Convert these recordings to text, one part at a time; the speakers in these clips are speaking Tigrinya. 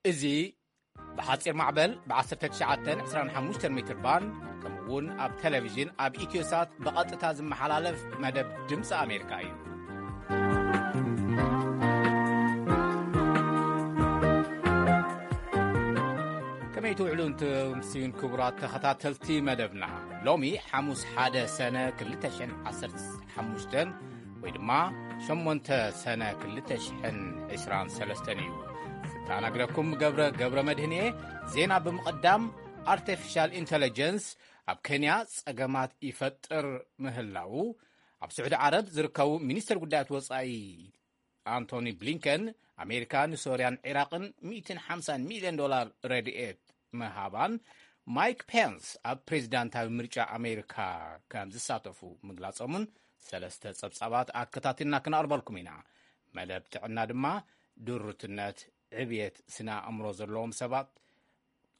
እዚ ብሓጺር ማዕበል ብ1925 ሜትር ባንድ፣ ከምኡ እውን ኣብ ቴሌቪዥን ኣብ ኢትዮሳት ብቐጥታ ዝመሓላለፍ መደብ ድምፂ ኣሜሪካ እዩ። ከመይ ትውዕሉ፣ እንትምስዩን ክቡራት ተኸታተልቲ መደብና። ሎሚ ሓሙስ ሓደ ሰነ ክልተ ሽሕን ዓሰርተ ሓሙሽተን ወይ ድማ ሸሞንተ ሰነ ክልተ ሽሕን ዕስራን ሰለስተን እዩ። ክተኣናግደኩም ገብረ፣ ገብረ መድህን እየ። ዜና ብምቕዳም፣ ኣርቲፊሻል ኢንተለጀንስ ኣብ ኬንያ ጸገማት ይፈጥር ምህላዉ፣ ኣብ ስዑዲ ዓረብ ዝርከቡ ሚኒስተር ጉዳያት ወጻኢ ኣንቶኒ ብሊንከን፣ ኣሜሪካ ንሶርያን ዒራቕን ሚእትን ሓምሳን ሚልዮን ዶላር ረድኤት ምሃባን፣ ማይክ ፔንስ ኣብ ፕሬዚዳንታዊ ምርጫ ኣሜሪካ ከም ዝሳተፉ ምግላጾምን ሰለስተ ጸብጻባት ኣከታቲልና ክነቕርበልኩም ኢና። መደብ ጥዕና ድማ ድሩትነት፣ ዕብየት ስነ ኣእምሮ ዘለዎም ሰባት፣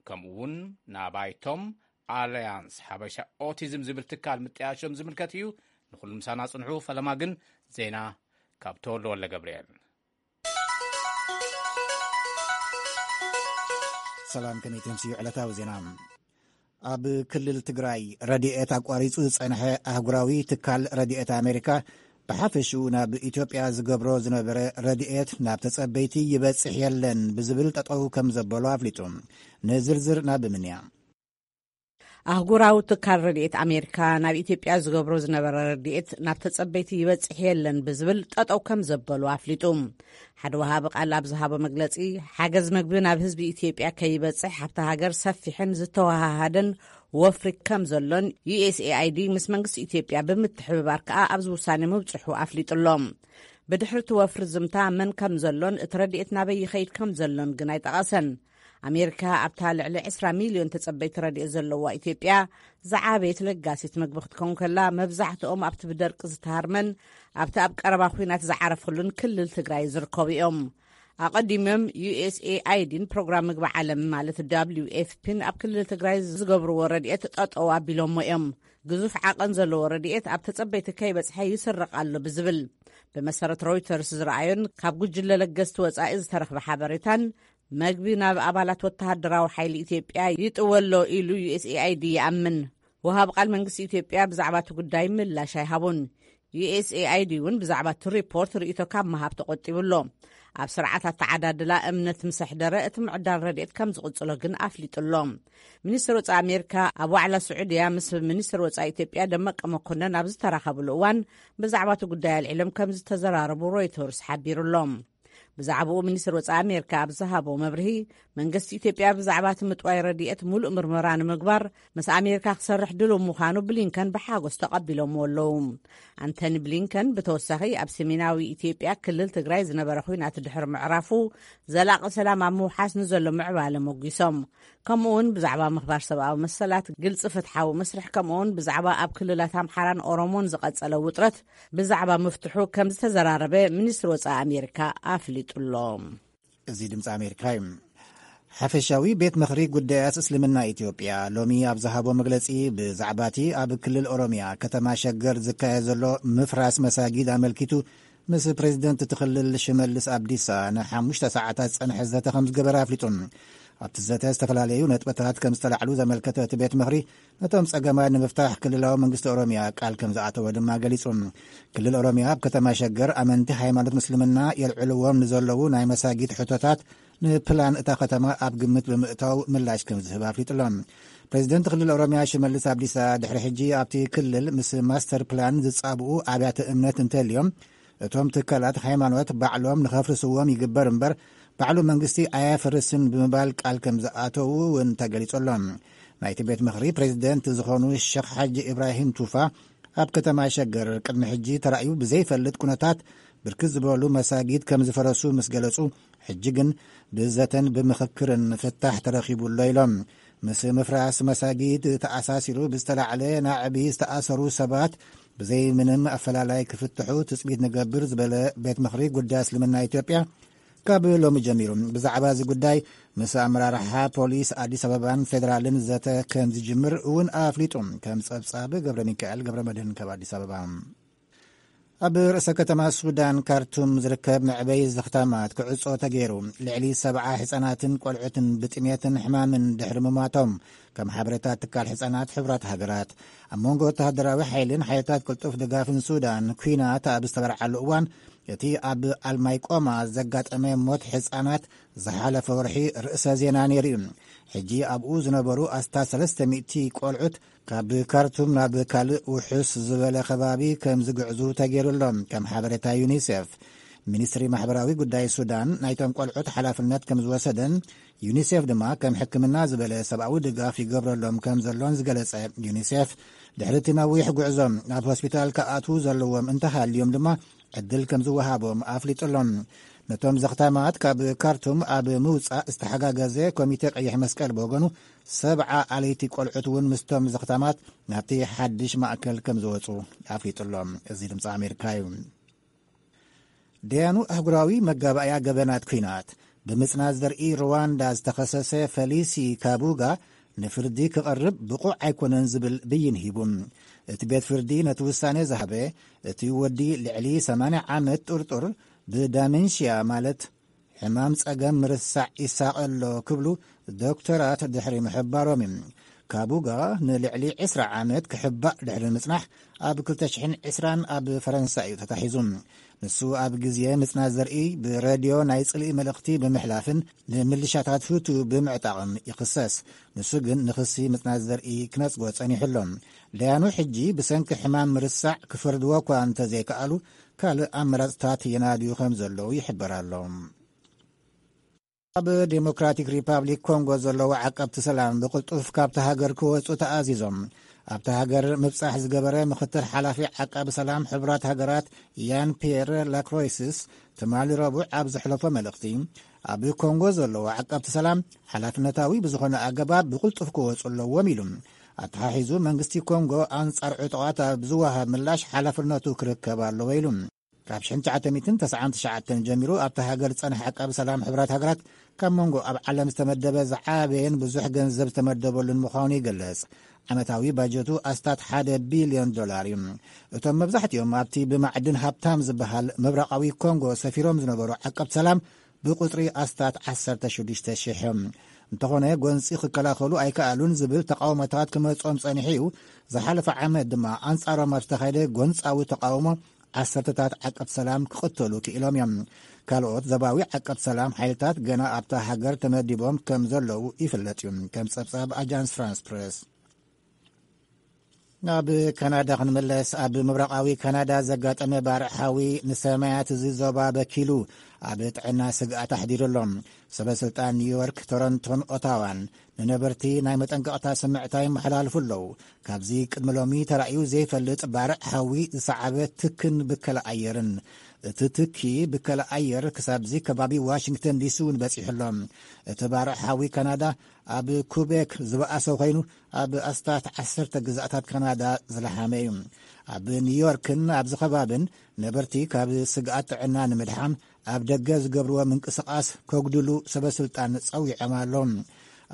ከምኡ እውን ናባይቶም ኣልያንስ ሓበሻ ኦቲዝም ዝብል ትካል ምጥያሾም ዝምልከት እዩ። ንኹሉ ምሳና ጽንሑ። ፈለማ ግን ዜና ካብ ተወልደ ወልደ ገብርኤል። ሰላም፣ ከመይ ትምስዩ? ዕለታዊ ዜና። ኣብ ክልል ትግራይ ረድኤት ኣቋሪጹ ዝጸንሐ ኣህጉራዊ ትካል ረድኤት ኣሜሪካ፣ ብሓፈሽኡ ናብ ኢትዮጵያ ዝገብሮ ዝነበረ ረድኤት ናብ ተጸበይቲ ይበጽሕ የለን ብዝብል ጠጠው ከም ዘበሎ ኣፍሊጡ። ንዝርዝር ናብ ምንያ። ኣህጉራዊ ትካል ረድኤት ኣሜሪካ ናብ ኢትዮጵያ ዝገብሮ ዝነበረ ረድኤት ናብ ተጸበይቲ ይበጽሕ የለን ብዝብል ጠጠው ከም ዘበሉ ኣፍሊጡ። ሓደ ወሃቢ ቃል ኣብ ዝሃቦ መግለጺ፣ ሓገዝ መግቢ ናብ ህዝቢ ኢትዮጵያ ከይበጽሕ ኣብታ ሃገር ሰፊሕን ዝተወሃሃደን ወፍሪ ከም ዘሎን፣ ዩ ኤስ ኤ ኣይ ዲ ምስ መንግስቲ ኢትዮጵያ ብምትሕብባር ከኣ ኣብዚ ውሳኔ ምብጽሑ ኣፍሊጡ ኣሎ። ብድሕሪ እቲ ወፍሪ ዝምታ መን ከም ዘሎን እቲ ረድኤት ናበይ ይኸይድ ከም ዘሎን ግን ኣይጠቐሰን። ኣሜሪካ ኣብታ ልዕሊ ዕስራ ሚልዮን ተጸበይቲ ረድኤት ዘለዋ ኢትዮጵያ ዝዓበየት ለጋሲት መግቢ ክትከውን ከላ፣ መብዛሕትኦም ኣብቲ ብደርቂ ዝተሃርመን ኣብቲ ኣብ ቀረባ ኲናት ዝዓረፈሉን ክልል ትግራይ ዝርከቡ እዮም። ኣቐዲሞም ዩ ኤስ ኤ ኣይ ዲን ፕሮግራም ምግቢ ዓለም ማለት ደብሊው ኤፍ ፒን ኣብ ክልል ትግራይ ዝገብርዎ ረድኤት ጠጠው ኣቢሎሞ እዮም። ግዙፍ ዓቐን ዘለዎ ረድኤት ኣብ ተጸበይቲ ከይበጽሐ ይስረቕ ኣሎ ብዝብል፣ ብመሰረት ሮይተርስ ዝረኣዮን ካብ ጉጅለ ለገስቲ ወጻኢ ዝተረኽበ ሓበሬታን፣ መግቢ ናብ ኣባላት ወተሃደራዊ ሓይሊ ኢትዮጵያ ይጥወ ኣሎ ኢሉ ዩ ኤስ ኤ ኣይ ዲ ይኣምን። ወሃብ ቃል መንግስቲ ኢትዮጵያ ብዛዕባ እቲ ጉዳይ ምላሽ ኣይሃቡን። ዩ ኤስ ኤ ኣይ ዲ እውን ብዛዕባ እቲ ሪፖርት ርእይቶ ካብ ምሃብ ተቖጢቡ ኣሎ። ኣብ ስርዓት ኣተዓዳድላ እምነት ምስ ኣሕደረ፣ እቲ ምዕዳል ረድኤት ከም ዝቕጽሎ ግን ኣፍሊጡ ኣሎ። ሚኒስትር ወጻኢ ኣሜሪካ ኣብ ዋዕላ ስዑድያ ምስ ሚኒስትር ወጻኢ ኢትዮጵያ ደመቀ መኮነን ኣብ ዝተራኸብሉ እዋን፣ ብዛዕባ እቲ ጉዳይ ኣልዒሎም ከም ዝተዘራረቡ ሮይተርስ ሓቢሩ ኣሎ። ብዛዕባኡ ሚኒስትር ወጻኢ ኣሜሪካ ኣብ ዝሃቦ መብርሂ፣ መንግስቲ ኢትዮጵያ ብዛዕባ እቲ ምጥዋይ ረድኤት ሙሉእ ምርመራ ንምግባር ምስ ኣሜሪካ ክሰርሕ ድሉው ምዃኑ ብሊንከን ብሓጎስ ተቐቢሎምዎ ኣለዉ። ኣንቶኒ ብሊንከን ብተወሳኺ ኣብ ሰሜናዊ ኢትዮጵያ ክልል ትግራይ ዝነበረ ኲናት ድሕሪ ምዕራፉ ዘላቒ ሰላም ኣብ ምውሓስ ንዘሎ ምዕባለ ሞጒሶም። ከምኡ እውን ብዛዕባ ምኽባር ሰብኣዊ መሰላት፣ ግልፂ ፍትሓዊ መስርሕ፣ ከምኡ እውን ብዛዕባ ኣብ ክልላት ኣምሓራን ኦሮሞን ዝቐጸለ ውጥረት ብዛዕባ ምፍትሑ ከም ዝተዘራረበ ሚኒስትሪ ወጻኢ ኣሜሪካ ኣፍሊጡ ኣሎ። እዚ ድምፂ ኣሜሪካ እዩ። ሓፈሻዊ ቤት ምኽሪ ጉዳያት እስልምና ኢትዮጵያ ሎሚ ኣብ ዝሃቦ መግለፂ፣ ብዛዕባ እቲ ኣብ ክልል ኦሮሚያ ከተማ ሸገር ዝካየድ ዘሎ ምፍራስ መሳጊድ ኣመልኪቱ ምስ ፕሬዚደንት እቲ ክልል ሽመልስ ኣብዲሳ ንሓሙሽተ ሰዓታት ዝጸንሐ ዘተ ከም ዝገበረ ኣፍሊጡ። ኣብቲ ዘተ ዝተፈላለዩ ነጥብታት ከም ዝተላዕሉ ዘመልከተ እቲ ቤት ምኽሪ፣ ነቶም ጸገማት ንምፍታሕ ክልላዊ መንግስቲ ኦሮሚያ ቃል ከም ዝኣተወ ድማ ገሊጹ። ክልል ኦሮሚያ ኣብ ከተማ ሸገር ኣመንቲ ሃይማኖት ምስልምና የልዕልዎም ንዘለዉ ናይ መሳጊድ ሕቶታት ንፕላን እታ ከተማ ኣብ ግምት ብምእታው ምላሽ ከም ዝህብ ኣፍሊጡ ኣሎ። ፕሬዚደንት ክልል ኦሮሚያ ሽመልስ ኣብዲሳ፣ ድሕሪ ሕጂ ኣብቲ ክልል ምስ ማስተር ፕላን ዝጻብኡ ኣብያተ እምነት እንተልዮም፣ እቶም ትካላት ሃይማኖት ባዕሎም ንኸፍርስዎም ይግበር እምበር፣ ባዕሉ መንግስቲ ኣየፍርስን ብምባል ቃል ከም ዝኣተዉ እውን ተገሊጹ ኣሎ። ናይቲ ቤት ምኽሪ ፕሬዚደንት ዝኾኑ ሸኽ ሓጂ ኢብራሂም ቱፋ፣ ኣብ ከተማ ሸገር ቅድሚ ሕጂ ተራእዩ ብዘይፈልጥ ኩነታት ብርክት ዝበሉ መሳጊድ ከም ዝፈረሱ ምስ ገለጹ፣ ሕጂ ግን ብዘተን ብምኽክርን ፍታሕ ተረኺቡ ኣሎ ኢሎም። ምስ ምፍራስ መሳጊድ ተኣሳሲሩ ብዝተላዕለ ናዕቢ ዝተኣሰሩ ሰባት ብዘይ ምንም ኣፈላላይ ክፍትሑ ትጽቢት ንገብር ዝበለ ቤት ምኽሪ ጉዳይ እስልምና ኢትዮጵያ፣ ካብ ሎሚ ጀሚሩ ብዛዕባ እዚ ጉዳይ ምስ ኣመራርሓ ፖሊስ ኣዲስ ኣበባን ፌደራልን ዘተ ከም ዝጅምር እውን ኣፍሊጡ። ከም ጸብጻብ ገብረ ሚካኤል ገብረ መድህን ካብ ኣዲስ ኣበባ። ኣብ ርእሰ ከተማ ሱዳን ካርቱም ዝርከብ መዕበይ ዘኽታማት ክዕጾ ተገይሩ። ልዕሊ ሰብዓ ህጻናትን ቆልዑትን ብጥሜትን ሕማምን ድሕሪ ምማቶም፣ ከም ሓበሬታ ትካል ህጻናት ሕቡራት ሃገራት። ኣብ መንጎ ወተሃደራዊ ሓይልን ሓይልታት ቅልጡፍ ድጋፍን ሱዳን ኲናት ኣብ ዝተበርዓሉ እዋን፣ እቲ ኣብ ኣልማይቆማ ዘጋጠመ ሞት ህጻናት ዝሓለፈ ወርሒ ርእሰ ዜና ነይሩ እዩ። ሕጂ ኣብኡ ዝነበሩ ኣስታት ሰለስተ ሚእቲ ቆልዑት ካብ ካርቱም ናብ ካልእ ውሑስ ዝበለ ከባቢ ከም ዝግዕዙ ተገይሩ ኣሎ። ከም ሓበሬታ ዩኒሴፍ፣ ሚኒስትሪ ማሕበራዊ ጉዳይ ሱዳን ናይቶም ቆልዑት ሓላፍነት ከም ዝወሰደን፣ ዩኒሴፍ ድማ ከም ሕክምና ዝበለ ሰብኣዊ ድጋፍ ይገብረሎም ከም ዘሎን ዝገለጸ ዩኒሴፍ፣ ድሕሪ እቲ ነዊሕ ጉዕዞ ናብ ሆስፒታል ክኣትዉ ዘለዎም እንተሃልዮም ድማ ዕድል ከም ዝወሃቦም ኣፍሊጡ ኣሎ። ነቶም ዘኽታማት ካብ ካርቱም ኣብ ምውጻእ ዝተሓጋገዘ ኮሚቴ ቀይሕ መስቀል ብወገኑ፣ ሰብዓ ኣለይቲ ቆልዑት እውን ምስቶም ዘኽታማት ናብቲ ሓድሽ ማእከል ከም ዝወጹ ኣፍሊጡ ኣሎ። እዚ ድምፂ ኣሜሪካ እዩ። ደያኑ ኣህጉራዊ መጋባእያ ገበናት ኲናት፣ ብምጽናት ዘርኢ ሩዋንዳ ዝተኸሰሰ ፈሊሲ ካቡጋ ንፍርዲ ክቐርብ ብቑዕ ኣይኮነን ዝብል ብይን ሂቡ። እቲ ቤት ፍርዲ ነቲ ውሳኔ ዝሃበ፣ እቲ ወዲ ልዕሊ ሰማንያ ዓመት ጥርጡር ብዳሜንሽያ፣ ማለት ሕማም ጸገም ምርሳዕ ይሳቐ ኣሎ ክብሉ ዶክተራት ድሕሪ ምሕባሮም እዩ። ካቡጋ ንልዕሊ ዕስራ ዓመት ክሕባእ ድሕሪ ምጽናሕ፣ ኣብ ክልተ ሽሕን ዕስራን ኣብ ፈረንሳ እዩ ተታሒዙ። ንሱ ኣብ ግዜ ምጽናት ዘርኢ ብሬድዮ ናይ ጽልኢ መልእኽቲ ብምሕላፍን ንምልሻታት ሁቱ ብምዕጣቕን ይኽሰስ። ንሱ ግን ንኽሲ ምጽናት ዘርኢ ክነጽጎ ጸኒሑ ኣሎ። ደያኑ ሕጂ ብሰንኪ ሕማም ምርሳዕ ክፈርድዎ እኳ እንተዘይከኣሉ፣ ካልእ ኣመራጽታት የናድዩ ከም ዘለዉ ይሕበር ኣሎ። ኣብ ዴሞክራቲክ ሪፓብሊክ ኮንጎ ዘለዉ ዓቀብቲ ሰላም ብቕልጡፍ ካብቲ ሃገር ክወጹ ተኣዚዞም። ኣብቲ ሃገር ምብጻሕ ዝገበረ ምኽትል ሓላፊ ዓቃቢ ሰላም ሕቡራት ሃገራት ያን ፒየር ላክሮይስስ ትማሊ ረቡዕ ኣብ ዘሕለፎ መልእኽቲ፣ ኣብ ኮንጎ ዘለዉ ዓቀብቲ ሰላም ሓላፍነታዊ ብዝኾነ ኣገባብ ብቕልጡፍ ክወጹ ኣለዎም ኢሉ። ኣተሓሒዙ መንግስቲ ኮንጎ ኣንጻር ዕጡቓት ኣብ ዝወሃብ ምላሽ ሓላፍነቱ ክርከብ ኣለዎ ኢሉ። ካብ ሽሕን ትሽዓተ ሚእትን ተስዓን ትሽዓተን ጀሚሩ ኣብታ ሃገር ዝጸንሐ ዓቃቢ ሰላም ሕቡራት ሃገራት፣ ካብ መንጎ ኣብ ዓለም ዝተመደበ ዝዓበየን ብዙሕ ገንዘብ ዝተመደበሉን ምዃኑ ይገልጽ። ዓመታዊ ባጀቱ ኣስታት ሓደ ቢልዮን ዶላር እዩ። እቶም መብዛሕትኦም ኣብቲ ብማዕድን ሃብታም ዝበሃል ምብራቓዊ ኮንጎ ሰፊሮም ዝነበሩ ዓቀብቲ ሰላም ብቁጽሪ ኣስታት ዓሰርተ ሽዱሽተ ሽሕ እዮም። እንተኾነ፣ ጎንጺ ክከላኸሉ ኣይከኣሉን ዝብል ተቃውሞታት ክመጾም ጸኒሑ እዩ። ዝሓለፈ ዓመት ድማ ኣንጻሮም ኣብ ዝተኻየደ ጎንጻዊ ተቃውሞ ዓሰርተታት ዓቀብቲ ሰላም ክቕተሉ ክኢሎም እዮም። ካልኦት ዞባዊ ዓቀብቲ ሰላም ሓይልታት ገና ኣብታ ሃገር ተመዲቦም ከም ዘለዉ ይፍለጥ እዩ። ከም ጸብጻብ ኣጃንስ ፍራንስ ፕሬስ። ናብ ካናዳ ክንምለስ፣ ኣብ ምብራቓዊ ካናዳ ዘጋጠመ ባርዕ ሓዊ ንሰማያት እዚ ዞባ በኪሉ ኣብ ጥዕና ስግኣት ኣሕዲሩ ኣሎ። ሰበ ስልጣን ኒውዮርክ፣ ቶሮንቶን ኦታዋን ንነበርቲ ናይ መጠንቀቕታ ስምዕታ ይመሓላልፉ ኣለዉ። ካብዚ ቅድሚ ሎሚ ተራእዩ ዘይፈልጥ ባርዕ ሓዊ ዝሰዓበ ትክን ብከላ ኣየርን፣ እቲ ትኪ ብከላ ኣየር ክሳብዚ ከባቢ ዋሽንግተን ዲሲ እውን በጺሑ ኣሎ። እቲ ባርዕ ሓዊ ካናዳ ኣብ ኩቤክ ዝበኣሰ ኮይኑ፣ ኣብ ኣስታት ዓሰርተ ግዛኣታት ካናዳ ዝለሓመ እዩ። ኣብ ኒውዮርክን ኣብዚ ከባብን ነበርቲ ካብ ስግኣት ጥዕና ንምድሓን ኣብ ደገ ዝገብርዎ ምንቅስቓስ ከጉድሉ ሰበ ስልጣን ጸዊዖም ኣለዉ።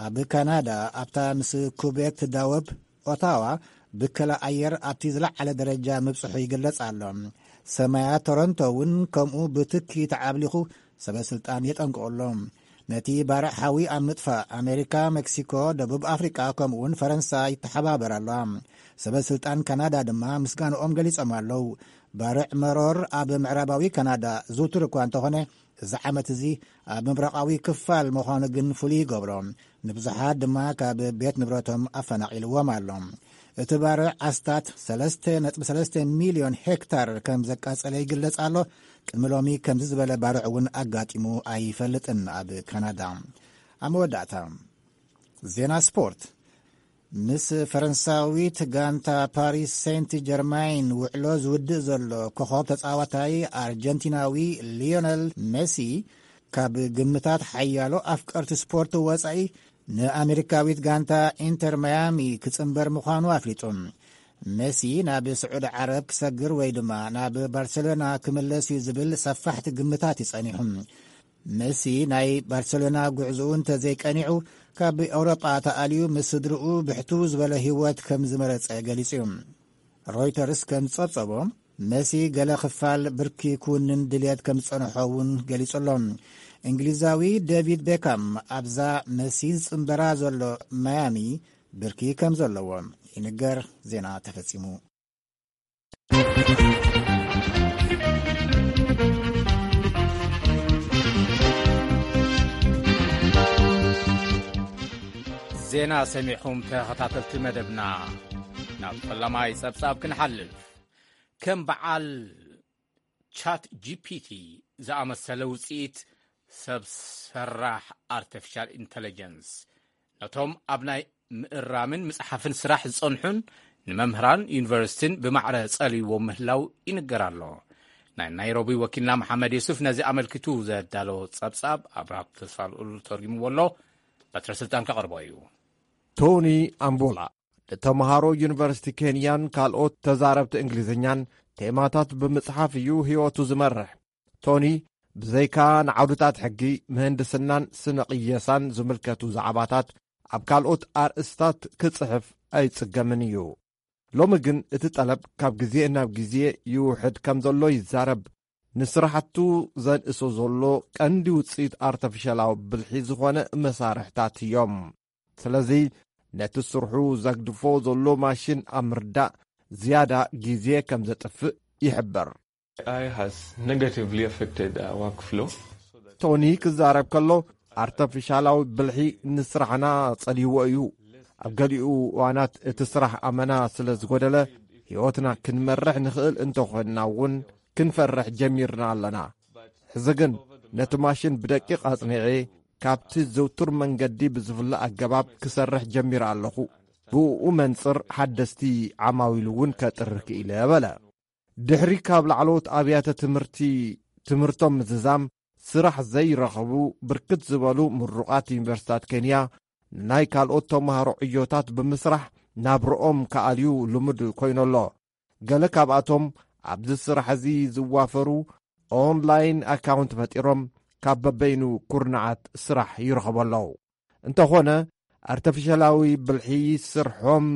ኣብ ካናዳ፣ ኣብታ ምስ ኩቤክ ትዳወብ ኦታዋ፣ ብከላ ኣየር ኣብቲ ዝለዓለ ደረጃ ምብጽሑ ይግለጽ ኣሎ። ሰማያት ቶሮንቶ እውን ከምኡ ብትኪ ተዓብሊኹ ሰበ ስልጣን የጠንቅቑ ኣሎ። ነቲ ባርዕ ሓዊ ኣብ ምጥፋእ ኣሜሪካ፣ ሜክሲኮ፣ ደቡብ ኣፍሪቃ፣ ከምኡ እውን ፈረንሳ ይተሓባበር ኣለዋ። ሰበ ስልጣን ካናዳ ድማ ምስጋንኦም ገሊጾም ኣለዉ። ባርዕ መሮር ኣብ ምዕራባዊ ካናዳ ዝውቱር እኳ እንተኾነ፣ እዚ ዓመት እዚ ኣብ ምብራቓዊ ክፋል ምዃኑ ግን ፍሉይ ይገብሮ። ንብዙሓት ድማ ካብ ቤት ንብረቶም ኣፈናቒልዎም ኣሎ። እቲ ባርዕ ኣስታት ሰለስተ ነጥቢ ሰለስተ ሚልዮን ሄክታር ከም ዘቃጸለ ይግለጽ ኣሎ። ቅድሚ ሎሚ ከምዚ ዝበለ ባርዕ እውን ኣጋጢሙ ኣይፈልጥን ኣብ ካናዳ። ኣብ መወዳእታ፣ ዜና ስፖርት። ምስ ፈረንሳዊት ጋንታ ፓሪስ ሴንት ጀርማይን ውዕሎ ዝውድእ ዘሎ ኮኸብ ተጻዋታይ ኣርጀንቲናዊ ሊዮነል ሜሲ፣ ካብ ግምታት ሓያሎ ኣፍቀርቲ ስፖርት ወጻኢ፣ ንኣሜሪካዊት ጋንታ ኢንተር ማያሚ ክጽንበር ምዃኑ ኣፍሊጡ። ሜሲ ናብ ስዑዲ ዓረብ ክሰግር ወይ ድማ ናብ ባርሴሎና ክምለስ እዩ ዝብል ሰፋሕቲ ግምታት እዩ ጸኒሑ። ሜሲ ናይ ባርሴሎና ጉዕዞኡ እንተዘይቀኒዑ፣ ካብ ኤውሮጳ ተኣልዩ ምስ ስድርኡ ብሕትው ዝበለ ህይወት ከም ዝመረጸ ገሊጹ እዩ። ሮይተርስ ከም ዝጸብጸቦ፣ መሲ ገለ ክፋል ብርኪ ክውንን ድልየት ከም ዝጸንሖ እውን ገሊጹ ኣሎ። እንግሊዛዊ ዴቪድ ቤካም ኣብዛ መሲ ዝጽንበራ ዘሎ ማያሚ ብርኪ ከም ዘለዎ ይንገር። ዜና ተፈጺሙ። ዜና ሰሚዕኹም ተኸታተልቲ መደብና። ናብ ፈላማይ ጸብጻብ ክንሓልፍ። ከም በዓል ቻት ጂ ፒ ቲ ዝኣመሰለ ውጽኢት ሰብ ሰራሕ ኣርቲፊሻል ኢንተለጀንስ ነቶም ኣብ ናይ ምእራምን ምጽሓፍን ስራሕ ዝጸንሑን ንመምህራን ዩኒቨርሲቲን ብማዕረ ጸልይዎም ምህላው ይንገር ኣሎ። ናይ ናይሮቢ ወኪልና መሓመድ የሱፍ ነዚ ኣመልኪቱ ዘዳሎ ጸብጻብ ኣብርሃ ተስፋልኡል ተርጉምዎ ኣሎ። በትረ ስልጣን ከቕርቦ እዩ። ቶኒ ኣምቦላ ንተምሃሮ ዩኒቨርሲቲ ኬንያን ካልኦት ተዛረብቲ እንግሊዝኛን ቴማታት ብምጽሓፍ እዩ ህይወቱ ዝመርሕ። ቶኒ ብዘይካ ንዓውድታት ሕጊ፣ ምህንድስናን ስነ ቅየሳን ዝምልከቱ ዛዕባታት ኣብ ካልኦት ኣርእስታት ክጽሕፍ ኣይጽገምን እዩ። ሎሚ ግን እቲ ጠለብ ካብ ግዜ ናብ ግዜ ይውሕድ ከም ዘሎ ይዛረብ። ንስራሕቱ ዘንእሶ ዘሎ ቀንዲ ውጽኢት ኣርተፊሻላዊ ብልሒ ዝኾነ መሳርሕታት እዮም። ስለዚ ነቲ ስርሑ ዘግድፎ ዘሎ ማሽን ኣብ ምርዳእ ዝያዳ ግዜ ከም ዘጥፍእ ይሕብር። A I has negatively affected our workflow. ቶኒ ክዛረብ ከሎ ኣርተፊሻላዊ ብልሒ ንስራሕና ጸልይዎ እዩ። ኣብ ገሊኡ እዋናት እቲ ስራሕ ኣመና ስለ ዝጎደለ ህይወትና ክንመርሕ ንኽእል እንተኾንና እውን ክንፈርሕ ጀሚርና ኣለና። ሕዚ ግን ነቲ ማሽን ብደቂቕ ኣጽኒዐ ካብቲ ዝውቱር መንገዲ ብዝፍለ ኣገባብ ክሰርሕ ጀሚረ ኣለኹ። ብኡ መንጽር ሓደስቲ ዓማዊል እውን ከጥሪ ክኢለ በለ። ድሕሪ ካብ ላዕለዎት ኣብያተ ትምህርቲ ትምህርቶም ምዝዛም ስራሕ ዘይረኸቡ ብርክት ዝበሉ ምሩቓት ዩኒቨርሲታት ኬንያ ንናይ ካልኦት ተምሃሮ ዕዮታት ብምስራሕ ናብርኦም ክኣልዩ ልሙድ ኮይኑሎ። ገለ ካብኣቶም ኣብዚ ስራሕ እዚ ዝዋፈሩ ኦንላይን ኣካውንት ፈጢሮም ካብ በበይኑ ኩርናዓት ስራሕ ይረኸቡ ኣለዉ። እንተኾነ ኣርተፊሻላዊ ብልሒ ስርሖም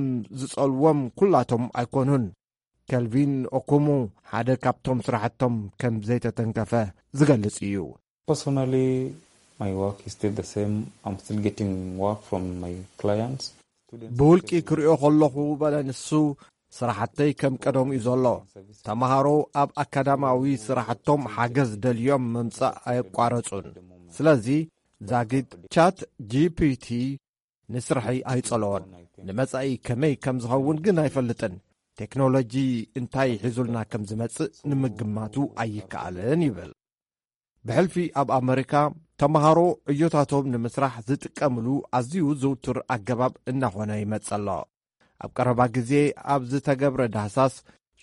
ዝጸልዎም ኩላቶም ኣይኮኑን። ከልቪን ኦኩሙ ሓደ ካብቶም ስራሕቶም ከም ዘይተተንከፈ ዝገልጽ እዩ። Personally, my work is still the same. I'm still getting work from my clients. ብውልቂ ክሪኦ ከለኹ በለ ንሱ፣ ስራሕተይ ከም ቀደሙ እዩ ዘሎ። ተምሃሮ ኣብ ኣካዳማዊ ስራሕቶም ሓገዝ ደልዮም ምምጻእ ኣየቋረጹን። ስለዚ ዛጊት ቻት ጂ ፒ ቲ ንስርሐይ ኣይጸለዎን። ንመጻኢ ከመይ ከም ዝኸውን ግን ኣይፈልጥን። ቴክኖሎጂ እንታይ ሒዙልና ከም ዝመጽእ ንምግማቱ ኣይከኣልን ይብል። ብሕልፊ ኣብ ኣመሪካ ተምሃሮ ዕዮታቶም ንምስራሕ ዝጥቀምሉ ኣዝዩ ዝውቱር ኣገባብ እናኾነ ይመጽእ ኣሎ። ኣብ ቀረባ ግዜ ኣብ ዝተገብረ ዳህሳስ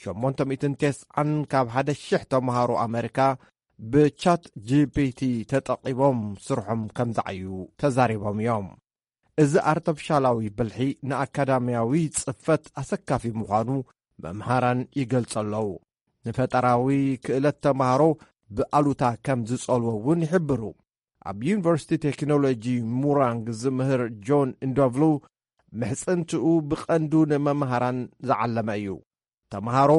ሸሞንተ ሚእትን ተስዓን ካብ ሓደ ሽሕ ተምሃሮ ኣመሪካ ብቻት ጂ ፒ ቲ ተጠቒሞም ስርሖም ከም ዝዓዩ ተዛሪቦም እዮም። እዚ ኣርተፊሻላዊ ብልሒ ንኣካዳምያዊ ጽፈት ኣሰካፊ ምዃኑ መምሃራን ይገልጹ ኣለዉ። ንፈጠራዊ ክእለት ተምሃሮ ብኣሉታ ከም ዝጸልዎ እውን ይሕብሩ። ኣብ ዩኒቨርሲቲ ቴክኖሎጂ ሙራንግ ዝምህር ጆን እንዶቭሉ ምሕጽንትኡ ብቐንዱ ንመምሃራን ዝዓለመ እዩ። ተምሃሮ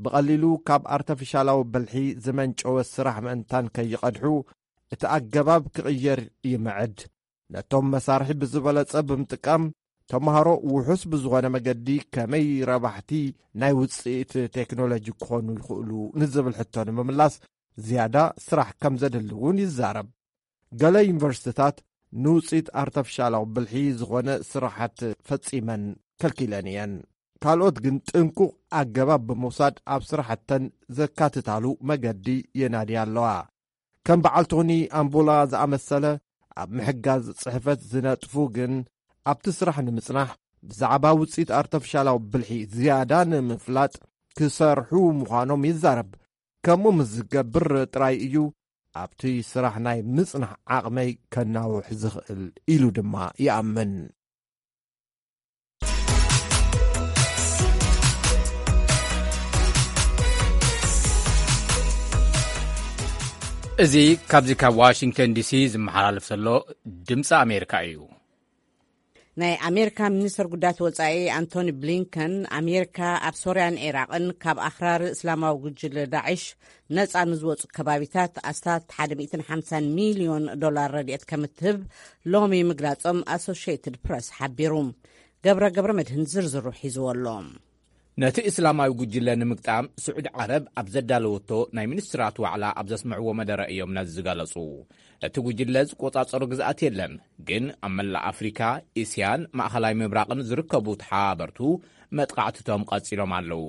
ብቐሊሉ ካብ ኣርተፊሻላዊ ብልሒ ዝመንጨወ ስራሕ ምእንታን ከይቐድሑ እቲ ኣገባብ ክቕየር ይምዕድ። ነቶም መሳርሒ ብዝበለጸ ብምጥቃም ተምሃሮ ውሑስ ብዝኾነ መገዲ ከመይ ረባሕቲ ናይ ውጽኢት ቴክኖሎጂ ክኾኑ ይኽእሉ ንዝብል ሕቶ ንምምላስ ዝያዳ ስራሕ ከም ዘድሊ እውን ይዛረብ። ገለ ዩኒቨርሲቲታት ንውጽኢት ኣርተፊሻላዊ ብልሒ ዝኾነ ስራሓት ፈጺመን ከልኪለን እየን። ካልኦት ግን ጥንቁቕ ኣገባብ ብምውሳድ ኣብ ስራሕተን ዘካትታሉ መገዲ የናድያ ኣለዋ። ከም በዓል ቶኒ ኣምቡላ ዝኣመሰለ ኣብ ምሕጋዝ ጽሕፈት ዝነጥፉ ግን ኣብቲ ስራሕ ንምጽናሕ ብዛዕባ ውጽኢት ኣርተፊሻላዊ ብልሒ ዝያዳ ንምፍላጥ ክሰርሑ ምዃኖም ይዛረብ። ከምኡ ምስ ዝገብር ጥራይ እዩ ኣብቲ ስራሕ ናይ ምጽናሕ ዓቕመይ ከናውሕ ዝኽእል ኢሉ ድማ ይኣምን። እዚ ካብዚ ካብ ዋሽንግተን ዲሲ ዝመሓላለፍ ዘሎ ድምፂ ኣሜሪካ እዩ። ናይ ኣሜሪካ ሚኒስትር ጉዳያት ወጻኢ ኣንቶኒ ብሊንከን፣ ኣሜሪካ ኣብ ሶርያን ኢራቕን ካብ ኣኽራሪ እስላማዊ ጉጅለ ዳዕሽ ነጻ ንዝወጹ ከባቢታት ኣስታት ሓደ ሚእትን ሓምሳን ሚልዮን ዶላር ረድኤት ከም እትህብ ሎሚ ምግላጾም ኣሶሽየትድ ፕረስ ሓቢሩ። ገብረ ገብረ መድህን ዝርዝሩ ሒዝዎ ኣሎ። ነቲ እስላማዊ ጉጅለ ንምግጣም ስዑዲ ዓረብ ኣብ ዘዳለወቶ ናይ ሚኒስትራት ዋዕላ ኣብ ዘስምዕዎ መደረ እዮም ነዚ ዝገለጹ። እቲ ጉጅለ ዝቆጻጸሩ ግዝኣት የለን፣ ግን ኣብ መላእ ኣፍሪካ፣ እስያን ማእኸላይ ምብራቕን ዝርከቡ ተሓባበርቱ መጥቃዕትቶም ቀጺሎም ኣለዉ።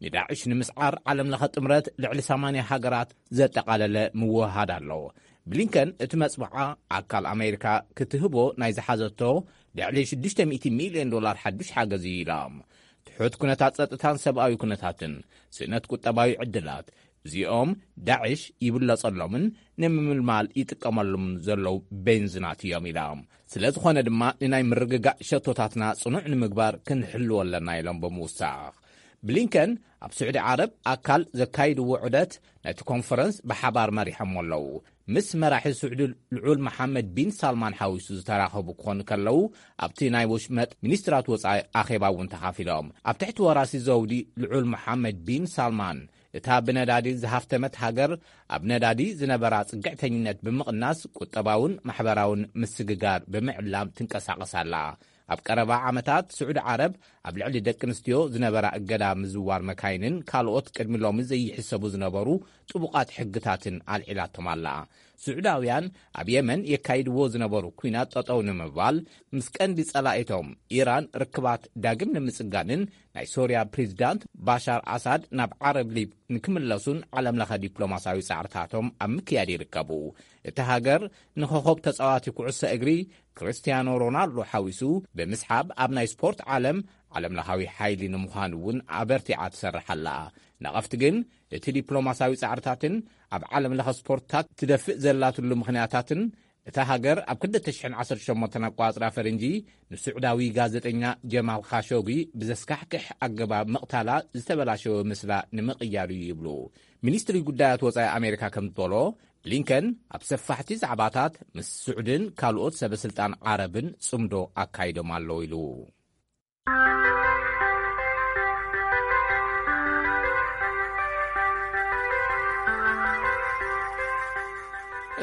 ንዳዕሽ ንምስዓር ዓለም ለኸ ጥምረት ልዕሊ ሰማንያ ሃገራት ዘጠቓለለ ምውህሃድ ኣሎ። ብሊንከን እቲ መጽብዓ ኣካል ኣሜሪካ ክትህቦ ናይ ዝሓዘቶ ልዕሊ ሽዱሽተ ሚእቲ ሚልዮን ዶላር ሓዱሽ ሓገዝ እዩ ኢላ። ትሑት ኩነታት ጸጥታን ሰብኣዊ ኩነታትን፣ ስእነት ቁጠባዊ ዕድላት፣ እዚኦም ዳዕሽ ይብለጸሎምን ንምምልማል ይጥቀመሎም ዘለዉ ቤንዝናት እዮም ኢላ። ስለ ዝኾነ ድማ ንናይ ምርግጋእ ሸቶታትና ጽኑዕ ንምግባር ክንሕልዎ ኣለና ኢሎም ብምውሳኽ። ብሊንከን ኣብ ስዑዲ ዓረብ ኣካል ዘካይድዎ ዑደት ነቲ ኮንፈረንስ ብሓባር መሪሖሞ ኣለዉ። ምስ መራሒ ስዑዲ ልዑል መሓመድ ቢን ሳልማን ሓዊሱ ዝተራኸቡ ክኾኑ ከለዉ፣ ኣብቲ ናይ ወሽመጥ ሚኒስትራት ወጻኢ ኣኼባ እውን ተኻፊሎም። ኣብ ትሕቲ ወራሲ ዘውዲ ልዑል መሓመድ ቢን ሳልማን፣ እታ ብነዳዲ ዝሃፍተመት ሃገር ኣብ ነዳዲ ዝነበራ ጽግዕተኝነት ብምቕናስ ቁጠባውን ማሕበራውን ምስግጋር ብምዕላም ትንቀሳቐስ ኣላ። ኣብ ቀረባ ዓመታት ስዑዲ ዓረብ ኣብ ልዕሊ ደቂ ኣንስትዮ ዝነበራ እገዳ ምዝዋር መካይንን ካልኦት ቅድሚ ሎሚ ዘይሕሰቡ ዝነበሩ ጥቡቓት ሕግታትን ኣልዒላቶም ኣላ። ስዑዳውያን ኣብ የመን የካይድዎ ዝነበሩ ኲናት ጠጠው ንምባል፣ ምስ ቀንዲ ጸላኢቶም ኢራን ርክባት ዳግም ንምጽጋንን ናይ ሶርያ ፕሬዝዳንት ባሻር ኣሳድ ናብ ዓረብ ሊግ ንክምለሱን ዓለም ለኸ ዲፕሎማሲያዊ ጻዕርታቶም ኣብ ምክያድ ይርከቡ። እቲ ሃገር ንኸኾብ ተጻዋቲ ኩዕሶ እግሪ ክርስቲያኖ ሮናልዶ ሓዊሱ ብምስሓብ ኣብ ናይ ስፖርት ዓለም ዓለም ለኻዊ ሓይሊ ንምዃን እውን ኣበርቲዓ ትሰርሕ ኣላ። ነቐፍቲ ግን እቲ ዲፕሎማሲያዊ ጻዕርታትን ኣብ ዓለም ለኸ ስፖርትታት ትደፍእ ዘላትሉ ምኽንያታትን እታ ሃገር ኣብ ክልተ ሽሕን ዓሰርተ ሸሞንተን ኣቋጽራ ፈረንጂ ንስዑዳዊ ጋዜጠኛ ጀማል ካሾጊ ብዘስካሕክሕ ኣገባብ ምቕታላ ዝተበላሸወ ምስላ ንምቕያር እዩ ይብሉ። ሚኒስትሪ ጉዳያት ወጻኢ ኣሜሪካ ከም ዝበሎ፣ ብሊንከን ኣብ ሰፋሕቲ ዛዕባታት ምስ ስዑድን ካልኦት ሰበስልጣን ዓረብን ጽምዶ ኣካይዶም ኣለዉ ኢሉ።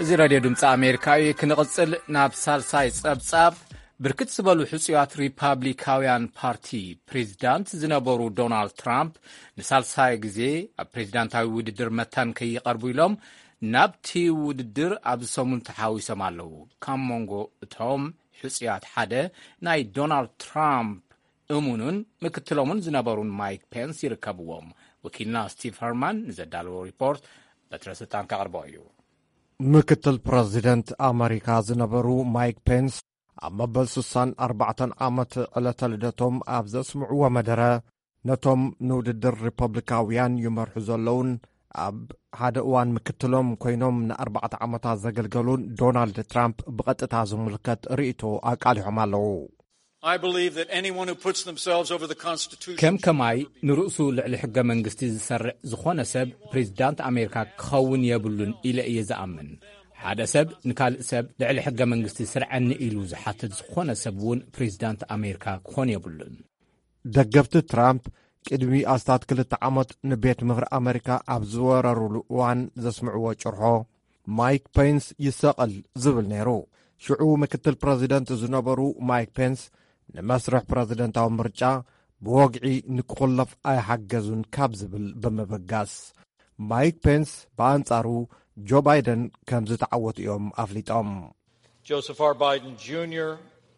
እዚ ራድዮ ድምፂ ኣሜሪካ እዩ። ክንቕፅል ናብ ሳልሳይ ጸብጻብ። ብርክት ዝበሉ ሕጹያት ሪፓብሊካውያን ፓርቲ ፕሬዚዳንት ዝነበሩ ዶናልድ ትራምፕ ንሳልሳይ ግዜ ኣብ ፕሬዚዳንታዊ ውድድር መታን ከይቐርቡ ኢሎም ናብቲ ውድድር ኣብዚ ሰሙን ተሓዊሶም ኣለዉ። ካብ መንጎ እቶም ሕጹያት ሓደ ናይ ዶናልድ ትራምፕ እሙኑን ምክትሎምን ዝነበሩን ማይክ ፔንስ ይርከብዎም። ወኪልና ስቲቭ ሀርማን ንዘዳለዎ ሪፖርት በትረ ስልጣን ከቕርቦ እዩ። ምክትል ፕረዚደንት ኣመሪካ ዝነበሩ ማይክ ፔንስ ኣብ መበል ስሳን ኣርባዕተን ዓመት ዕለተ ልደቶም ኣብ ዘስምዕዎ መደረ፣ ነቶም ንውድድር ሪፐብሊካውያን ይመርሑ ዘለውን ኣብ ሓደ እዋን ምክትሎም ኮይኖም ንኣርባዕተ ዓመታት ዘገልገሉን ዶናልድ ትራምፕ ብቐጥታ ዝምልከት ርእይቶ ኣቃሊሖም ኣለዉ። I believe that anyone who puts themselves over the Constitution ከም ከማይ ንርእሱ ልዕሊ ሕገ መንግስቲ ዝሰርዕ ዝኾነ ሰብ ፕሬዚዳንት ኣሜሪካ ክኸውን የብሉን ኢለ እየ ዝኣምን። ሓደ ሰብ ንካልእ ሰብ ልዕሊ ሕገ መንግስቲ ስርዐኒ ኢሉ ዝሓትት ዝኾነ ሰብ እውን ፕሬዚዳንት ኣሜሪካ ክኾን የብሉን። ደገፍቲ ትራምፕ ቅድሚ ኣስታት ክልተ ዓመት ንቤት ምኽሪ ኣመሪካ ኣብ ዝወረሩሉ እዋን ዘስምዕዎ ጭርሖ፣ ማይክ ፔንስ ይሰቐል ዝብል ነይሩ። ሽዑ ምክትል ፕረዚደንት ዝነበሩ ማይክ ፔንስ ንመስርሕ ፕረዚደንታዊ ምርጫ ብወግዒ ንክኹለፍ ኣይሓገዙን ካብ ዝብል ብምብጋስ፣ ማይክ ፔንስ ብኣንጻሩ ጆ ባይደን ከም ዝተዓወቱ እዮም ኣፍሊጦም። Joseph R. Biden Junior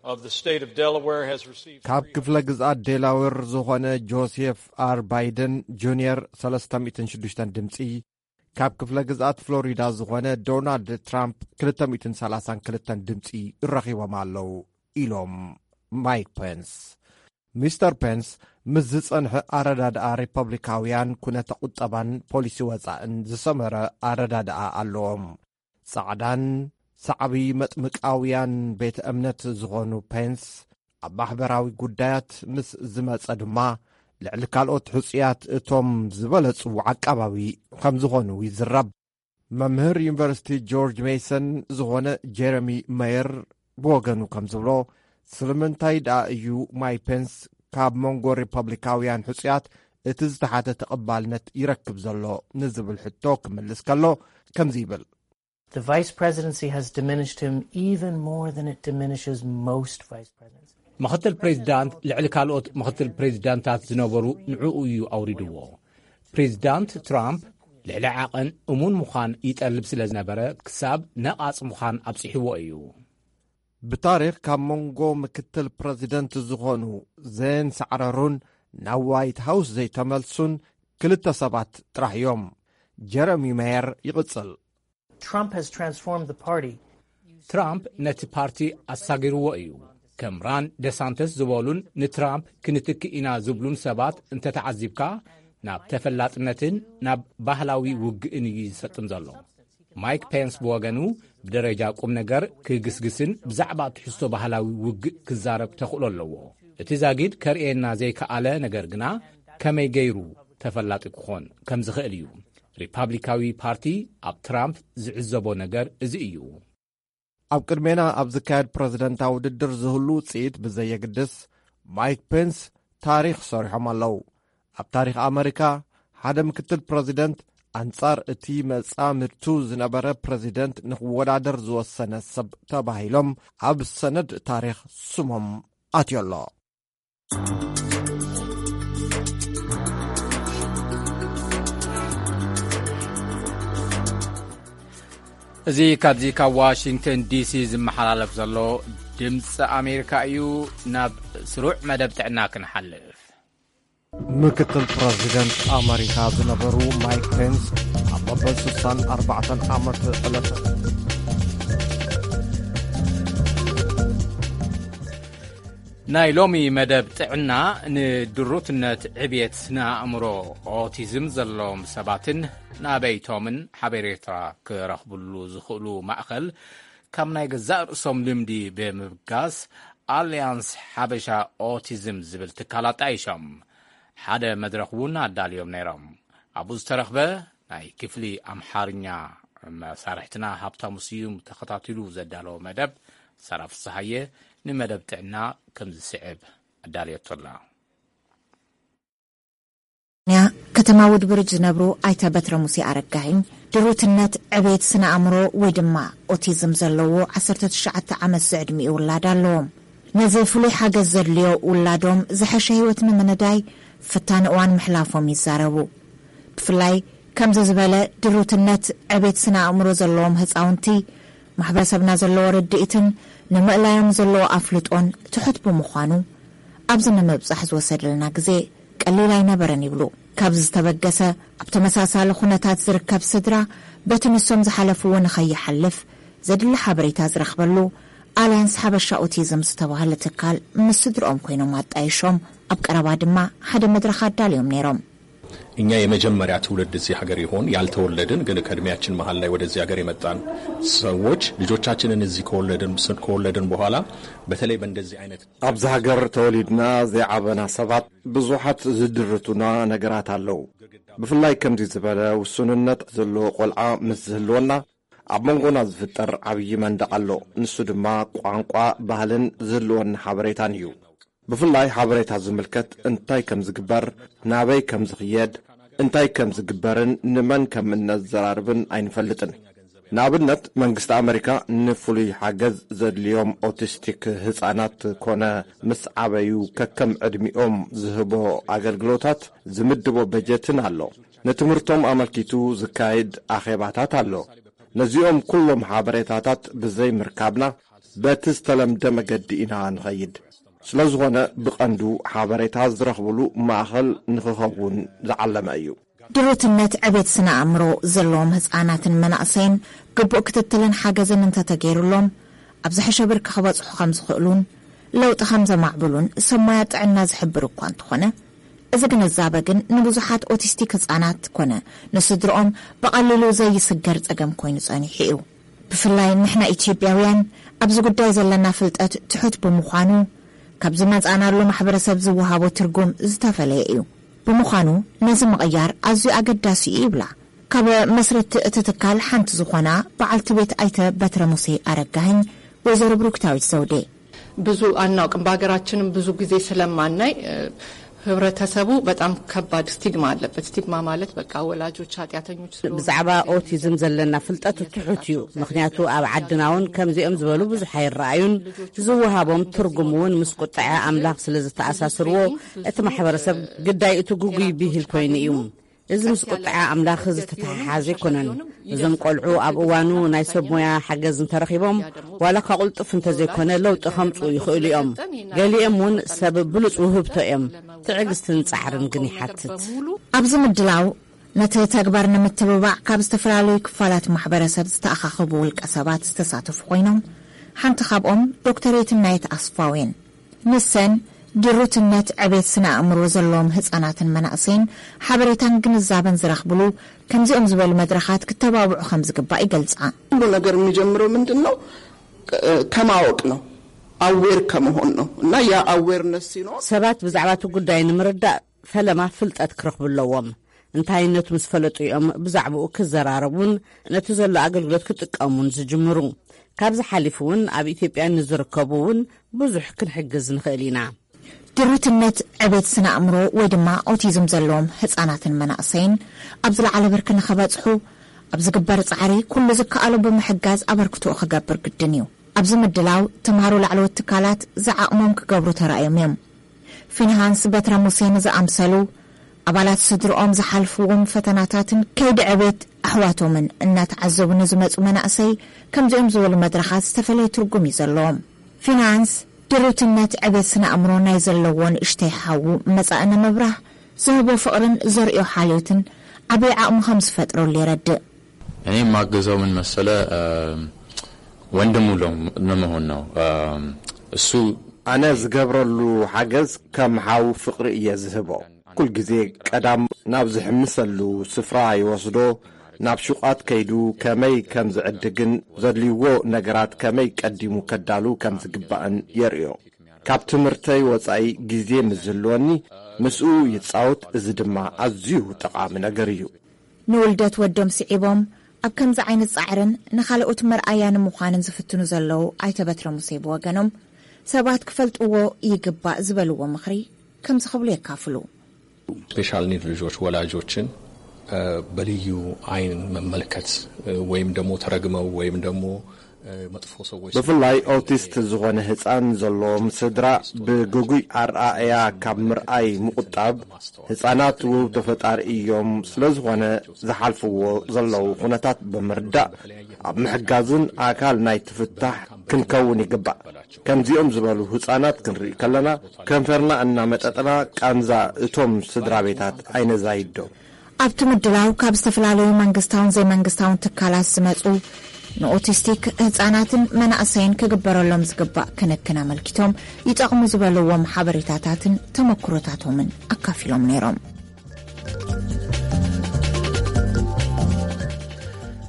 of the state of Delaware has received ካብ ክፍለ ግዝኣት ዴላዌር ዝኾነ ጆሴፍ ኣር ባይደን ጁንየር ሰለስተ ሚእትን ሽዱሽተን ድምፂ፣ ካብ ክፍለ ግዝኣት ፍሎሪዳ ዝኾነ ዶናልድ ትራምፕ ክልተ ሚእትን ሰላሳን ክልተን ድምፂ ረኺቦም ኣለዉ ኢሎም ማይክ ፔንስ። ሚስተር ፔንስ ምስ ዝጸንሐ ኣረዳድኣ ሪፐብሊካውያን ኩነተ ቁጠባን ፖሊሲ ወጻእን ዝሰመረ ኣረዳድኣ ኣለዎም። ጻዕዳን ሳዕቢ መጥምቃውያን ቤተ እምነት ዝኾኑ ፔንስ ኣብ ማሕበራዊ ጉዳያት ምስ ዝመጸ ድማ ልዕሊ ካልኦት ሕጹያት እቶም ዝበለጹ ዓቃባዊ ከም ዝኾኑ ይዝረብ። መምህር ዩኒቨርሲቲ ጆርጅ ሜሰን ዝኾነ ጀረሚ መየር ብወገኑ ከም ዝብሎ፣ ስለምንታይ ደኣ እዩ ማይክ ፔንስ ካብ መንጎ ሪፐብሊካውያን ሕጹያት እቲ ዝተሓተ ተቐባልነት ይረክብ ዘሎ ንዝብል ሕቶ ክምልስ ከሎ ከምዚ ይብል። The vice presidency has diminished him even more than it diminishes most vice presidents. ምኽትል ፕሬዚዳንት ልዕሊ ካልኦት ምኽትል ፕሬዚዳንታት ዝነበሩ ንዕኡ እዩ ኣውሪድዎ። ፕሬዚዳንት ትራምፕ ልዕሊ ዓቐን እሙን ምዃን ይጠልብ ስለ ዝነበረ ክሳብ ነቓጽ ምዃን ኣብጺሕዎ እዩ። ብታሪኽ ካብ መንጎ ምክትል ፕረዚደንት ዝኾኑ ዘየንሳዕረሩን ናብ ዋይት ሃውስ ዘይተመልሱን ክልተ ሰባት ጥራሕ እዮም። ጀረሚ ሜየር ይቕጽል። Trump has transformed the party. ትራምፕ ነቲ ፓርቲ ኣሳጊርዎ እዩ። ከም ራን ደሳንተስ ዝበሉን ንትራምፕ ክንትክእ ኢና ዝብሉን ሰባት እንተተዓዚብካ ናብ ተፈላጥነትን ናብ ባህላዊ ውግእን እዩ ዝሰጥም ዘሎ። ማይክ ፔንስ ብወገኑ ብደረጃ ቁም ነገር ክግስግስን ብዛዕባ ትሕዝቶ ባህላዊ ውግእ ክዛረብ ተኽእሎ ኣለዎ። እቲ ዛጊድ ከርእየና ዘይከኣለ ነገር ግና ከመይ ገይሩ ተፈላጢ ክኾን ከም ዝኽእል እዩ። ሪፓብሊካዊ ፓርቲ ኣብ ትራምፕ ዝዕዘቦ ነገር እዚ እዩ። ኣብ ቅድሜና ኣብ ዝካየድ ፕረዚደንታዊ ውድድር ዝህሉ ውጽኢት ብዘየግድስ ማይክ ፔንስ ታሪኽ ሰሪሖም ኣለዉ። ኣብ ታሪኽ ኣመሪካ ሓደ ምክትል ፕረዚደንት ኣንጻር እቲ መጻምድቱ ዝነበረ ፕረዚደንት ንክወዳደር ዝወሰነ ሰብ ተባሂሎም ኣብ ሰነድ ታሪኽ ስሞም ኣትዮ ኣሎ። እዚ ካብዚ ካብ ዋሽንግተን ዲሲ ዝመሓላለፍ ዘሎ ድምፂ ኣሜሪካ እዩ። ናብ ስሩዕ መደብ ጥዕና ክንሓልፍ። ምክትል ፕረዚደንት ኣመሪካ ዝነበሩ ማይክ ፔንስ ኣብ መበል ስሳን ኣርባዕተን ዓመት ዕለተ ናይ ሎሚ መደብ ጥዕና ንድሩትነት ዕብየት ስነ ኣእምሮ ኦቲዝም ዘለዎም ሰባትን ናበይቶምን ሓበሬታ ክረኽብሉ ዝኽእሉ ማእኸል ካብ ናይ ገዛእ ርእሶም ልምዲ ብምብጋስ ኣልያንስ ሓበሻ ኦቲዝም ዝብል ትካል ኣጣይሾም ሓደ መድረኽ እውን ኣዳልዮም ነይሮም። ኣብኡ ዝተረኽበ ናይ ክፍሊ ኣምሓርኛ መሳርሕትና ሃብታሙ ስዩም ተኸታቲሉ ዘዳለዎ መደብ ሰራ ፍስሃየ ንመደብ ጥዕና ከም ዝስዕብ ኣዳልየቶ ኣላ። ያ ከተማ ውድብርጅ ዝነብሩ ኣይተ በትረ ሙሴ ኣረጋሂኝ ድሩትነት ዕቤት ስነ ኣእምሮ ወይ ድማ ኦቲዝም ዘለዎ ዓሰርተ ትሽዓተ ዓመት ዝዕድሚኡ ውላድ ኣለዎም። ነዚ ፍሉይ ሓገዝ ዘድልዮ ውላዶም ዝሐሸ ህይወት ንምንዳይ ፈታኒ እዋን ምሕላፎም ይዛረቡ። ብፍላይ ከምዚ ዝበለ ድሩትነት ዕቤት ስነ ኣእምሮ ዘለዎም ህፃውንቲ ማሕበረሰብና ዘለዎ ርድኢትን ንምእላዮም ዘለዎ ኣፍልጦን ትሑት ብምዃኑ ኣብዚ ንምብፃሕ ዝወሰደልና ግዜ ቀሊል ኣይነበረን ይብሉ። ካብዚ ዝተበገሰ ኣብ ተመሳሳሊ ኩነታት ዝርከብ ስድራ በቲ ንሶም ዝሓለፍዎ ንኸይሓልፍ ዘድሊ ሓበሬታ ዝረኽበሉ ኣልያንስ ሓበሻ ኦቲዝም ዝተባህለ ትካል ምስ ስድርኦም ኮይኖም ኣጣይሾም ኣብ ቀረባ ድማ ሓደ መድረኽ ኣዳልዮም ነይሮም። እኛ የመጀመሪያ ትውልድ እዚህ ሀገር ይሆን ያልተወለድን ግን ከእድሜያችን መሀል ላይ ወደዚህ ሀገር የመጣን ሰዎች ልጆቻችንን እዚህ ከወለድን ከወለድን በኋላ በተለይ በእንደዚህ አይነት ኣብዚ ሃገር ተወሊድና ዘይዓበና ሰባት ብዙሓት ዝድርቱና ነገራት ኣለዉ። ብፍላይ ከምዚ ዝበለ ውሱንነት ዘለዎ ቆልዓ ምስ ዝህልወና ኣብ መንጎና ዝፍጠር ዓብዪ መንደቕ ኣሎ። ንሱ ድማ ቋንቋ፣ ባህልን ዝህልወና ሓበሬታን እዩ። ብፍላይ ሓበሬታ ዝምልከት እንታይ ከም ዝግበር፣ ናበይ ከም ዝኽየድ፣ እንታይ ከም ዝግበርን ንመን ከም እነዘራርብን ኣይንፈልጥን። ንኣብነት መንግስቲ ኣመሪካ ንፍሉይ ሓገዝ ዘድልዮም ኦቲስቲክ ህፃናት ኮነ ምስ ዓበዩ ከከም ዕድሚኦም ዝህቦ ኣገልግሎታት ዝምድቦ በጀትን ኣሎ። ንትምህርቶም ኣመልኪቱ ዝካየድ ኣኼባታት ኣሎ። ነዚኦም ኩሎም ሓበሬታታት ብዘይ ምርካብና በቲ ዝተለምደ መገዲ ኢና ንኸይድ። ስለዝኾነ ብቐንዱ ሓበሬታ ዝረኽብሉ ማእኸል ንኽኸውን ዝዓለመ እዩ። ድሩትነት ዕቤት ስነ ኣእምሮ ዘለዎም ህፃናትን መናእሰይን ግቡእ ክትትልን ሓገዝን እንተተገይሩሎም ኣብ ዝሐሸ ብርኪ ክበፅሑ ከም ዝኽእሉን ለውጢ ከም ዘማዕብሉን ሰብ ሞያ ጥዕና ዝሕብር እኳ እንተኾነ እዚ ግንዛበ ግን ንብዙሓት ኦቲስቲክ ህፃናት ኮነ ንስድርኦም ብቐሊሉ ዘይስገር ፀገም ኮይኑ ፀኒሑ እዩ። ብፍላይ ንሕና ኢትዮጵያውያን ኣብዚ ጉዳይ ዘለና ፍልጠት ትሑት ብምዃኑ ካብ ዝመፃእናሉ ማሕበረሰብ ዝወሃቦ ትርጉም ዝተፈለየ እዩ። ብምዃኑ ነዚ ምቕያር ኣዝዩ ኣገዳሲ እዩ ይብላ ካብ መስረቲ እቲ ትካል ሓንቲ ዝኾና በዓልቲ ቤት ኣይተ በትረ ሙሴ ኣረጋህኝ ወይዘሮ ብሩክታዊት ዘውዴ። ብዙ አናውቅም። በሀገራችንም ብዙ ጊዜ ስለማናይ፣ እ፣ ህብረተሰቡ በጣም ከባድ ስቲግማ አለበት። ስቲግማ ማለት በቃ ወላጆች ኃጢአተኞች ስለሆኑ ብዛዕባ ኦቲዝም ዘለና ፍልጠት ትሑት እዩ። ምኽንያቱ ኣብ ዓድና እውን ከምዚኦም ዝበሉ ብዙሕ ኣይረኣዩን። ዝወሃቦም ትርጉም እውን ምስ ቁጥዐ ኣምላኽ ስለ ዝተኣሳስርዎ፣ እቲ ማሕበረሰብ ግዳይ እቲ ግጉይ ብሂል ኮይኑ እዩ። እዚ ምስ ቁጥዐ ኣምላኽ ዝተተሓሓዘ ኣይኮነን። እዞም ቆልዑ ኣብ እዋኑ ናይ ሰብ ሞያ ሓገዝ እንተረኺቦም፣ ዋላ እኳ ቅልጡፍ እንተዘይኮነ ለውጢ ከምጽኡ ይኽእሉ እዮም። ገሊኦም እውን ሰብ ብሉጽ ውህብቶ እዮም። ትዕግስትን ጻዕርን ግን ይሓትት። ኣብዚ ምድላው ነቲ ተግባር ንምትብባዕ ካብ ዝተፈላለዩ ክፋላት ማሕበረሰብ ዝተኣኻኸቡ ውልቀ ሰባት ዝተሳተፉ ኮይኖም፣ ሓንቲ ካብኦም ዶክተር የትናየት ኣስፋው እየን። ንሰን ድሩትነት ዕቤት ስነ ኣእምሮ ዘለዎም ህጻናትን መናእሰይን ሓበሬታን ግንዛበን ዝረኽብሉ ከምዚኦም ዝበሉ መድረኻት ክተባብዑ ከም ዝግባእ ይገልጻ። ሁሉ ነገር የሚጀምረው ምንድን ነው? ከማወቅ ነው። አዌር ከመሆን ነው። እና ያ አዌርነስ ሲኖር ሰባት ብዛዕባ እቲ ጉዳይ ንምርዳእ ፈለማ ፍልጠት ክረኽቡ ኣለዎም። እንታይነቱ ምስ ፈለጡ እዮም ብዛዕባኡ ክዘራረቡን ነቲ ዘሎ ኣገልግሎት ክጥቀሙን ዝጅምሩ። ካብዚ ሓሊፉ እውን ኣብ ኢትዮጵያ ንዝርከቡ እውን ብዙሕ ክንሕግዝ ንኽእል ኢና። ድሩትነት ዕቤት ስነ ኣእምሮ ወይ ድማ ኦቲዝም ዘለዎም ህጻናትን መናእሰይን ኣብ ዝለዓለ ብርኪ ንኸበጽሑ ኣብ ዝግበር ጻዕሪ ኩሉ ዝከኣሎ ብምሕጋዝ ኣበርክቶኡ ክገብር ግድን እዩ። ኣብዚ ምድላው ተምሃሮ ላዕለዎት ትካላት ዝዓቕሞም ክገብሩ ተራእዮም እዮም። ፊንሃንስ በትረ ሙሴን ዝኣምሰሉ ኣባላት ስድርኦም ዝሓልፍዎም ፈተናታትን ከይዲ ዕቤት ኣሕዋቶምን እናተዓዘቡ ንዝመፁ መናእሰይ ከምዚኦም ዝበሉ መድረኻት ዝተፈለየ ትርጉም እዩ ዘለዎም። ፊናንስ ድሩትነት ዕቤት ስነ ኣእምሮ ናይ ዘለዎ ንእሽተይ ሓዉ መጻኢ ንምብራህ ዝህቦ ፍቕርን ዘርእዮ ሓልዮትን ዓብዪ ዓቕሚ ከም ዝፈጥረሉ የረድእ። እኔ የማግዘው ምን መሰለ ወንድሙ ለመሆን ነው። እሱ ኣነ ዝገብረሉ ሓገዝ ከም ሓው ፍቕሪ እየ ዝህቦ። ኩል ግዜ ቀዳም ናብ ዝሕምሰሉ ስፍራ ይወስዶ፣ ናብ ሹቓት ከይዱ ከመይ ከም ዝዕድግን ዘድልይዎ ነገራት ከመይ ቀዲሙ ከዳሉ ከም ዝግባእን የርእዮ። ካብ ትምህርተይ ወጻኢ ግዜ ምስ ዝህልወኒ ምስኡ ይጻወት፣ እዚ ድማ ኣዝዩ ጠቓሚ ነገር እዩ። ንውልደት ወዶም ስዒቦም ኣብ ከምዚ ዓይነት ጻዕርን ንኻልኦት መርኣያ ንምዃንን ዝፍትኑ ዘለዉ ኣይተ በትረ ሙሴ ብወገኖም፣ ሰባት ክፈልጥዎ ይግባእ ዝበልዎ ምኽሪ ከምዚ ክብሉ የካፍሉ። ስፔሻል ኒድ ልጆች ወላጆችን በልዩ አይን መመልከት ወይም ደግሞ ተረግመው ወይም ደግሞ መጥፎ ሰዎች ብፍላይ ኦቲስት ዝኾነ ህፃን ዘለዎም ስድራ ብግጉይ ኣረኣእያ ካብ ምርኣይ ምቁጣብ፣ ህፃናት ውህብቶ ፈጣሪ እዮም፣ ስለዝኾነ ዝሓልፍዎ ዘለዉ ኩነታት ብምርዳእ ኣብ ምሕጋዝን ኣካል ናይ ትፍታሕ ክንከውን ይግባእ። ከምዚኦም ዝበሉ ህፃናት ክንርኢ ከለና ከንፈርና እናመጠጥና ቃንዛ እቶም ስድራ ቤታት ኣይነዛይዶ። ኣብቲ ምድላው ካብ ዝተፈላለዩ መንግስታውን ዘይመንግስታውን ትካላት ዝመፁ ንኦቲስቲክ ህፃናትን መናእሰይን ክግበረሎም ዝግባእ ክንክን ኣመልኪቶም ይጠቕሙ ዝበልዎም ሓበሬታታትን ተመክሮታቶምን ኣካፊሎም ነይሮም።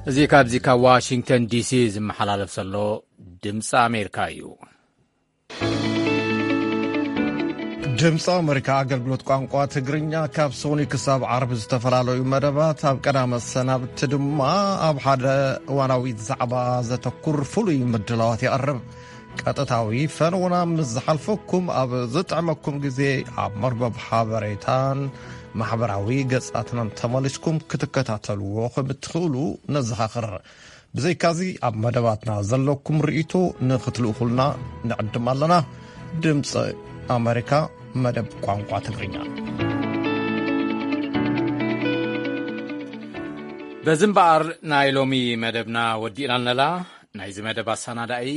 እዚ ካብዚ ካብ ዋሽንግተን ዲሲ ዝመሓላለፍ ዘሎ ድምፂ ኣሜሪካ እዩ። ድምፂ ኣሜሪካ ኣገልግሎት ቋንቋ ትግርኛ ካብ ሰኑይ ክሳብ ዓርቢ ዝተፈላለዩ መደባት፣ ኣብ ቀዳመ ሰናብቲ ድማ ኣብ ሓደ እዋናዊ ዛዕባ ዘተኩር ፍሉይ ምድላዋት የቕርብ። ቀጥታዊ ፈነውና ምስ ዝሓልፈኩም ኣብ ዝጥዕመኩም ግዜ ኣብ መርበብ ሓበሬታን ማሕበራዊ ገጻትናን ተመሊስኩም ክትከታተልዎ ከም እትኽእሉ ነዘኻኽር። ብዘይካዚ ኣብ መደባትና ዘለኩም ርእይቶ ንኽትልእኹልና ንዕድም ኣለና። ድምፂ ኣሜሪካ መደብ ቋንቋ ትግርኛ። በዚ እምበኣር ናይ ሎሚ መደብና ወዲእና ኣለና። ናይዚ መደብ ኣሰናዳኢ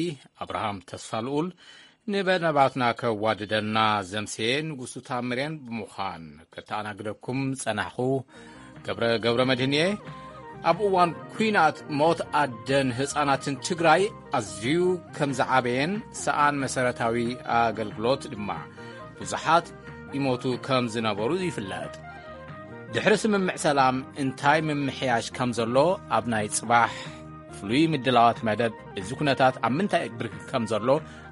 ኣብርሃም ተስፋልኡል፣ ንመደባትና ከዋድደና ዘምሴ ንጉሱ ታምሬን ብምዃን ከተኣናግደኩም ጸናሕኹ። ገብረ ገብረ መድህን እየ። ኣብ እዋን ኲናት ሞት ኣደን ህጻናትን ትግራይ ኣዝዩ ከም ዝዓበየን ሰኣን መሰረታዊ ኣገልግሎት ድማ ብዙሓት ይሞቱ ከም ዝነበሩ ይፍለጥ። ድሕሪ ስምምዕ ሰላም እንታይ ምምሕያሽ ከም ዘሎ ኣብ ናይ ጽባሕ ፍሉይ ምድላዋት መደብ፣ እዚ ኩነታት ኣብ ምንታይ ብርኪ ከም ዘሎ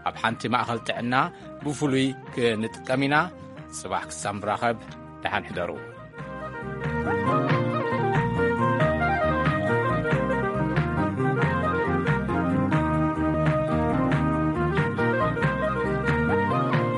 ኣብ ሓንቲ ማእኸል ጥዕና ብፍሉይ ክንጥቀም ኢና። ጽባሕ ክሳብ ንራኸብ ደሓን ሕደሩ።